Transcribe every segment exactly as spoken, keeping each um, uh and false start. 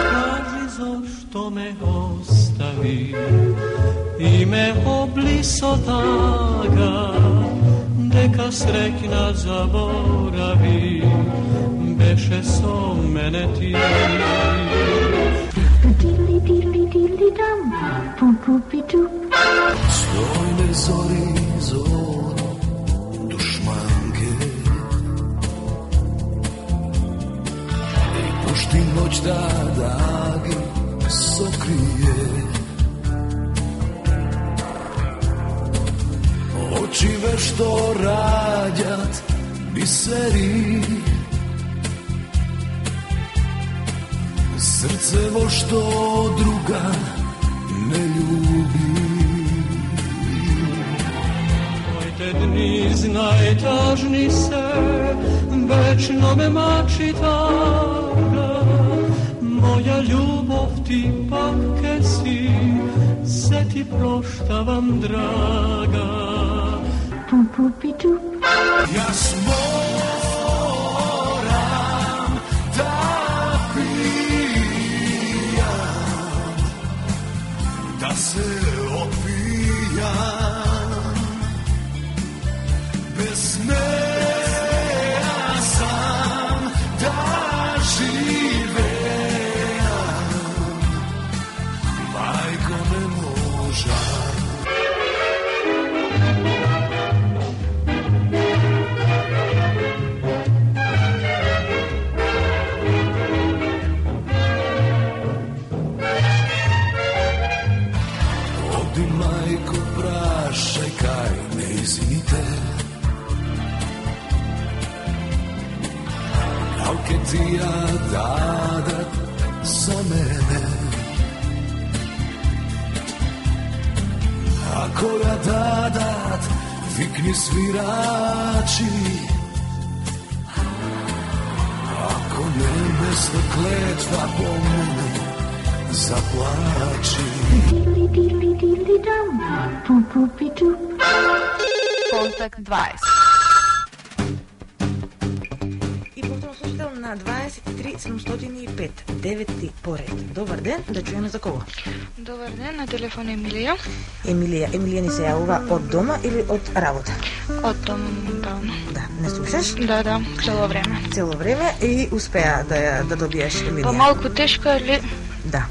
Kaži zašto me ostavi i me obliso taga, deka srećna zaboravi, beše so mene ti. Stojne zori zor dušmanke i pušti noć da dage sokrije. Oči vešto rađat biseri, srce vo što druga ne ljubi. Mojte dni znaj tažni se, večno me mači taga, moja ljubov ti pakke si, se ti proštavam draga. Ja moram da pijam, da se opijam, bez smeja sam da živeam, majko ne možam. Alke ti ja dadat za mene, ako ja dadat vikni svirači, ako nebesna kletva po mene zaplači. Kontakt dvadeset. На дваесет и три седумстотини и пет, деветти поред. Добар ден, да чуеме за кого? Добар ден, на телефон Емилија. Емилија, Емилија ни се јавува од дома или од работа? Од дома, моментално. Да, не слушаш? Да, да, цело време. Цело време и успеа да да добиеш Емилија. Па малку тешко, али... Да.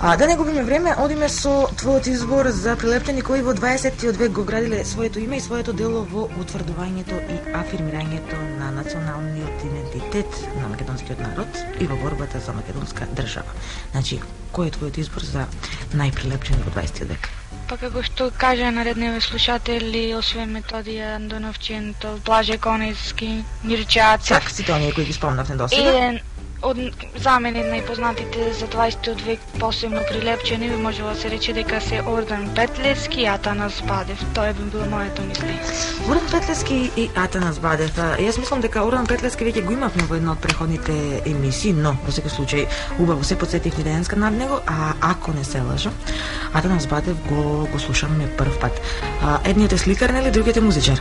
А да не губиме време, одиме со твојот избор за прилептени кои во дваесеттиот век го градиле своето име и своето дело во утврдувањето и афирмирањето на националниот идентитет на македонскиот народ и во борбата за македонска држава. Значи, кој е твојот избор за најприлепчени во дваесеттиот век? Па како што кажа наредневе слушатели, освен Методија Андоновчин, Блаже Конески, Мирче Ацев. Так, сите оние кои ги спомнавме досега. Еден од за мене најпознатите за дваесеттиот век посебно прилепчени може да се рече дека се Ордан Петлевски и Атанас Бадев. Тоа би било моето мисли. Ордан Петлевски и Атанас Бадев. Јас мислам дека Ордан Петлевски веќе го имавме во една од преходните емисии, но во секој случај убаво се потсетивме денеска над него, а ако не се лажам, Атанас Бадев го го слушаме прв пат. Едниот е сликар, нели, другиот е музичар.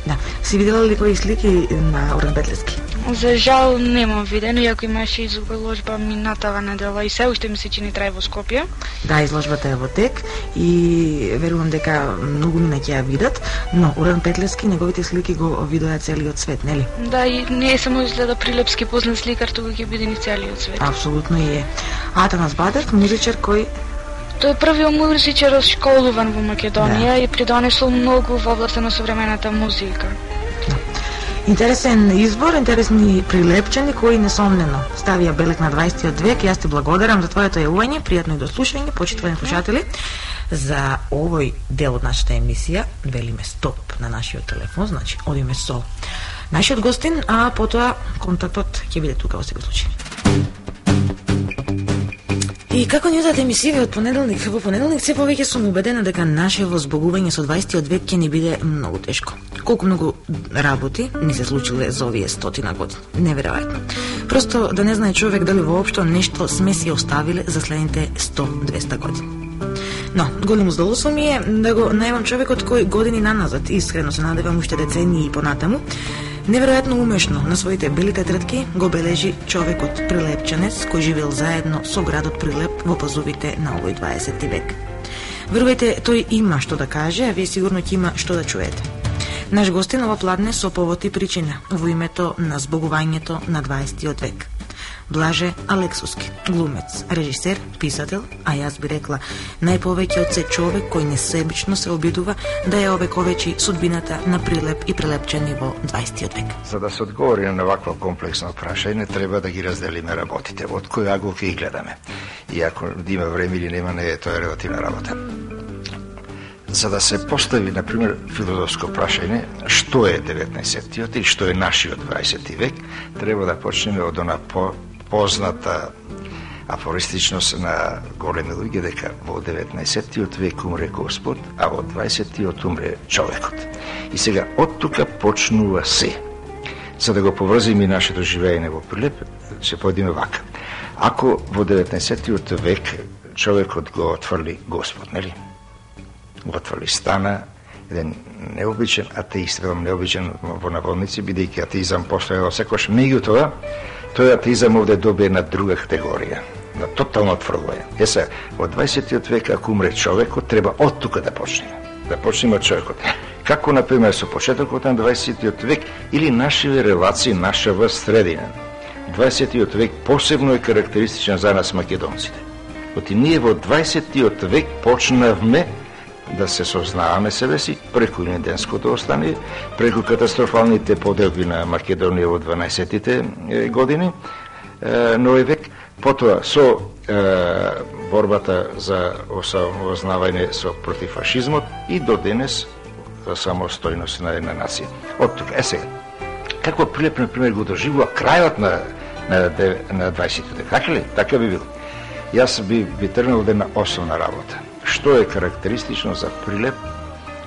Да. Си видела ли кои слики на Ордан Петлевски? За жал немам видено, иако имаше изложба минатава недела и се уште ми се чини трај во Скопје. Да, изложбата е во тек и верувам дека многу мина ќе ја видат, но Ордан Петлевски неговите слики го видоа целиот свет, нели? Да, и не е само изгледа прилепски познат сликар, туку ќе биде ни целиот свет. Апсолутно и е. Атанас Бадев, музичар кој Тој е првиот музичар школуван во Македонија, да, и придонесол многу во областа на современата музика. Да. Интересен избор, интересни прилепчени кои несомнено ставија белег на дваесеттиот век. Јас ти благодарам за твоето јавување, пријатно и дослушање, почитувани слушатели. За овој дел од нашата емисија велиме стоп на нашиот телефон, значи одиме со нашиот гостин, а потоа контактот ќе биде тука во секој случај. И како ни одат емисиите од понеделник во понеделник, се повеќе сум убедена дека наше возбогување со дваесеттиот век ќе ни биде многу тешко. Колку многу работи ни се случиле за овие стотина години. Неверојатно. Просто да не знае човек дали воопшто нешто сме си оставиле за следните сто до двесте години. Но, големо задоволство ми е да го најавам човекот кој години наназад, искрено се надевам уште децении и понатаму, Неверојатно умешно на своите бели тетрадки го бележи човекот прилепчанец кој живеел заедно со градот Прилеп во пазовите на овој дваесети век. Верувајте, тој има што да каже, а вие сигурно ќе има што да чуете. Наш гостин ова пладне со повод и причина во името на збогувањето на дваесеттиот век. Блаже Алексуски, глумец, режисер, писател, а јас би рекла најповеќе од се човек кој несебично се обидува да ја овековечи судбината на Прилеп и прилепчани во дваесеттиот век. За да се одговори на вакво комплексно прашање, треба да ги разделиме работите, од кој агол ќе ги гледаме. И ако има време или нема, не е тоа релативна работа. За да се постави, например, филозофско прашање, што е деветнаесеттиот и што е нашиот дваесети век, треба да почнеме од она по позната афористичност на големи луѓе дека во деветнаесеттиот век умре Господ, а во дваесеттиот умре човекот. И сега од тука почнува се. За да го поврзиме и нашето живеење во Прилеп, ќе појдеме вака. Ако во деветнаесеттиот век човекот го отфрли Господ, нели? Го отфрли стана, еден необичен атеист, велам необичен во наводници, бидејќи атеизам постојал секојаш, меѓутоа тој атеизам овде добие една друга категорија, на тотално отфрлување. Еса, во дваесеттиот век, ако умре човекот, треба од тука да почнеме. Да почнеме од човекот. Како, например, со почетокот на дваесеттиот век или нашиве релации, нашава средина. дваесеттиот век посебно е карактеристичен за нас македонците. Оти ние во дваесеттиот век почнавме да се сознаваме себе си преку Илинденското остание, преку катастрофалните поделби на Македонија во дванаесеттите години, нови век, потоа со е, борбата за осамознавање со против фашизмот и до денес за самостојност на една нација. Од тука, е сега, како Прилеп, например, го доживува крајот на, на, на дваесеттиот век, така ли? Така би било. Јас би, би тргнал да една основна работа. Што е карактеристично за Прилеп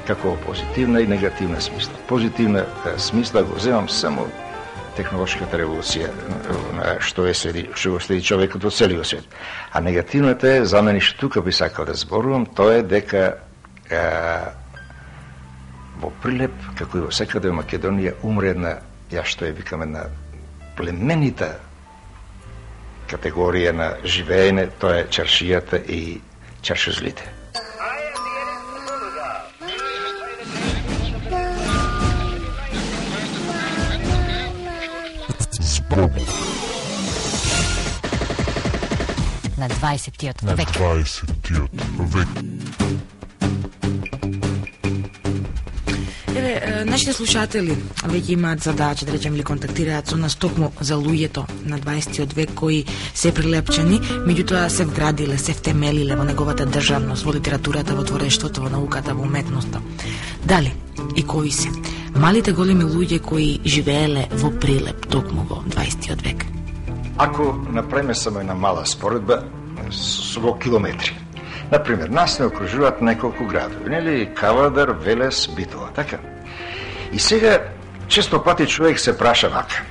како позитивна и негативна смисла. Позитивна смисла го земам само технолошката револуција, што е следи, што го следи човекот во целиот свет. А негативната е, за мене што тука би сакал да зборувам, тоа е дека е, во Прилеп, како и во секаде во Македонија, умре една, ја што е викам, една племенита категорија на живеење, тоа е чаршијата и чаршузлите. На дваесеттиот на век. дваесеттиот век. Еве, нашите слушатели веќе имаат задача, да речем, ли контактираат со нас токму за луѓето на дваесеттиот век кои се прилепчани, меѓутоа се вградиле, се втемелиле во неговата државност, во литературата, во творештвото, во науката, во уметноста. Дали и кои се малите големи луѓе кои живееле во Прилеп токму во дваесеттиот век? Ако направиме само една мала споредба во километри. Например, нас не окружуваат неколку градови, нели? Кавадар, Велес, Битола, така? И сега, често пати човек се праша вака.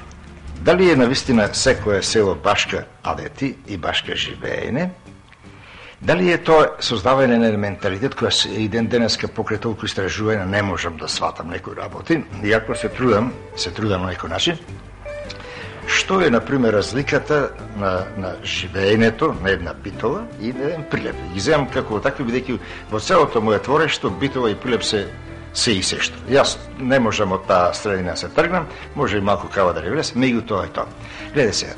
Дали е навистина секое село башка адети и башка живеење? Дали е тоа создавање на менталитет која и ден денеска покрај толку истражување не можам да сватам некои работи, иако се трудам, се трудам на некој начин. Што е, например, разликата на, на живеенето на една Битола и на еден Прилеп? Ги земам како такви, бидејќи во целото моје творештво Битола и Прилеп се се и сешто. Јас не можам од таа средина се тргнам, може и малку Кавадар и Велес, меѓутоа е тоа. Гледај сега,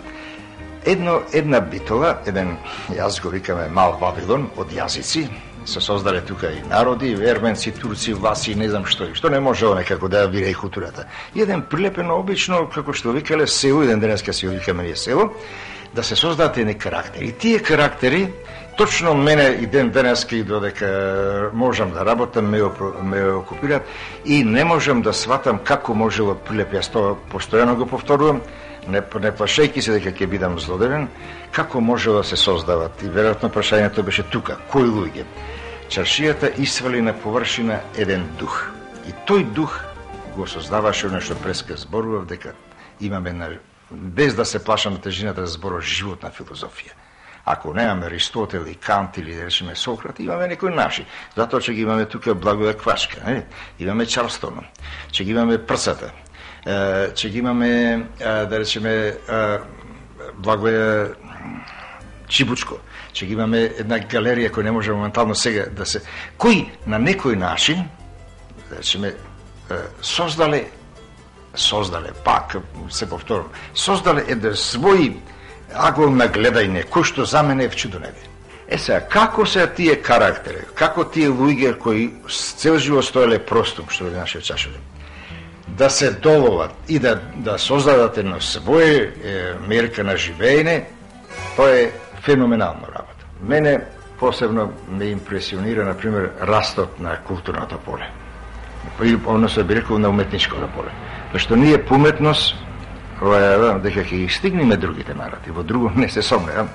едно, една Битола, еден, јас го викаме мал Вавилон од јазици, се создале тука и народи, ерменци, турци, власи, не знам што и што не можело некако да вира и културата. И еден прилепено обично, како што викале село, еден денеска си викаме ние село, да се создадат едни карактери. И тие карактери, точно мене и ден денеска и додека можам да работам, ме, ме окупират и не можам да сватам како можело Прилеп, јас тоа постојано го повторувам, не, не плашејки се дека ќе бидам злодевен, како можело да се создават. И веројатно прашањето беше тука, кои луѓе? Чаршијата исвали на површина еден дух. И тој дух го создаваше оно што преска зборував, дека имаме, на, без да се плашам на тежината да зборувам, животна филозофија. Ако немаме Аристотел и Кант или да речеме Сократ, имаме некои наши. Затоа че ги имаме тука Благода Квачка, не? Имаме Чарлстон, че ги имаме прсата. Че ги имаме, да речеме, Благоја Чибучко, че ги имаме една галерија која не може моментално сега да се... Кои на некој начин, да речеме, создале, создале, пак, се повторам, создале еден свој агол на гледање, кој што за мене е в чудонебе. Е сега, како се тие карактери, како тие луѓе кои цел живот стоеле простум, што е нашиот чашове, да се доловат и да, да создадат едно своје е, мерка на живеење, тоа е феноменална работа. Мене посебно ме импресионира, например, растот на културното поле. Односно би рекол на уметничкото поле. Зашто ние по уметност, дека ќе ги стигнеме другите народи, во друго не се сомневам.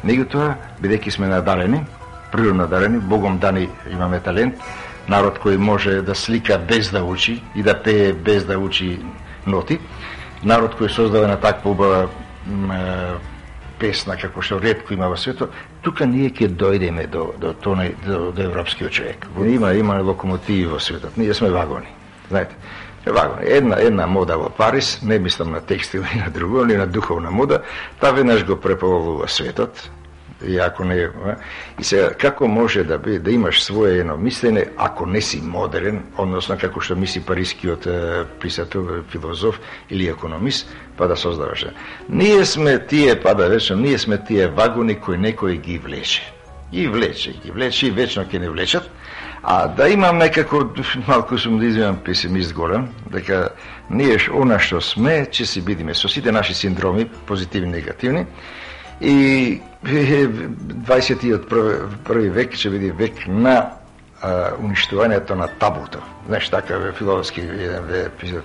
Меѓутоа, бидејќи сме надарени, природно надарени, Богом дани имаме талент, народ кој може да слика без да учи и да пее без да учи ноти, народ кој создава на таква убава песна како што ретко има во светот, тука ние ќе дојдеме до до тој до, до европскиот човек. Има има локомотиви во светот, ние сме вагони. Знаете, вагони. Една една мода во Париз, не мислам на текстил и на друго, или на духовна мода, таа веднаш го преповолува светот. И ако не, и сега како може да би да имаш свое едно мислење ако не си модерен, односно како што мисли парискиот писател, филозоф или економист, па да создаваш. Ние сме тие, па да речем, ние сме тие вагони кои некој ги влече. И влече, ги влече и вечно ќе не влечат. А да имам некако, малку сум да извинам песимист голем, дека ние она што сме, ќе си бидиме со сите наши синдроми, позитивни и негативни, и дваесеттиот први век ќе биде век на а, уништувањето на табуто. Знаеш, така филозофски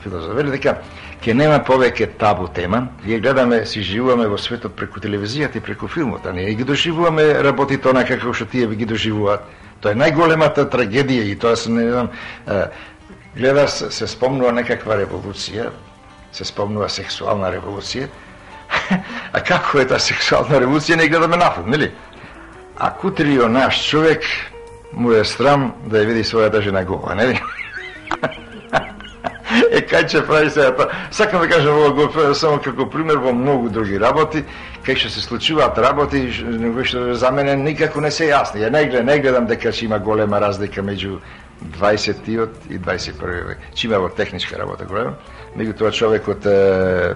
филозоф вели дека ќе нема повеќе табу тема. Ние гледаме, си живуваме во светот преку телевизијата и преку филмот, а ние ги доживуваме работите онака како што тие ги доживуваат. Тоа е најголемата трагедија и тоа се не знам, гледаш, се спомнува некаква револуција, се спомнува сексуална револуција. А како е таа сексуална револуција, не гледаме нафилм, нели? А кутрио наш човек му е срам да ја види својата жена гола, нели? Е, кај ќе прави сега тоа? Сакам да кажам ово само како пример во многу други работи, кај што се случуваат работи, што за мене никако не се јасни. Ја не гледам, не гледам дека ќе има голема разлика меѓу дваесеттиот и дваесет и први век. Че има во техничка работа голема, меѓутоа човекот е,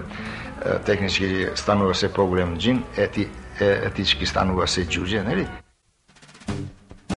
технички станува се поголем джин, ети, етички станува се џуџе, нели?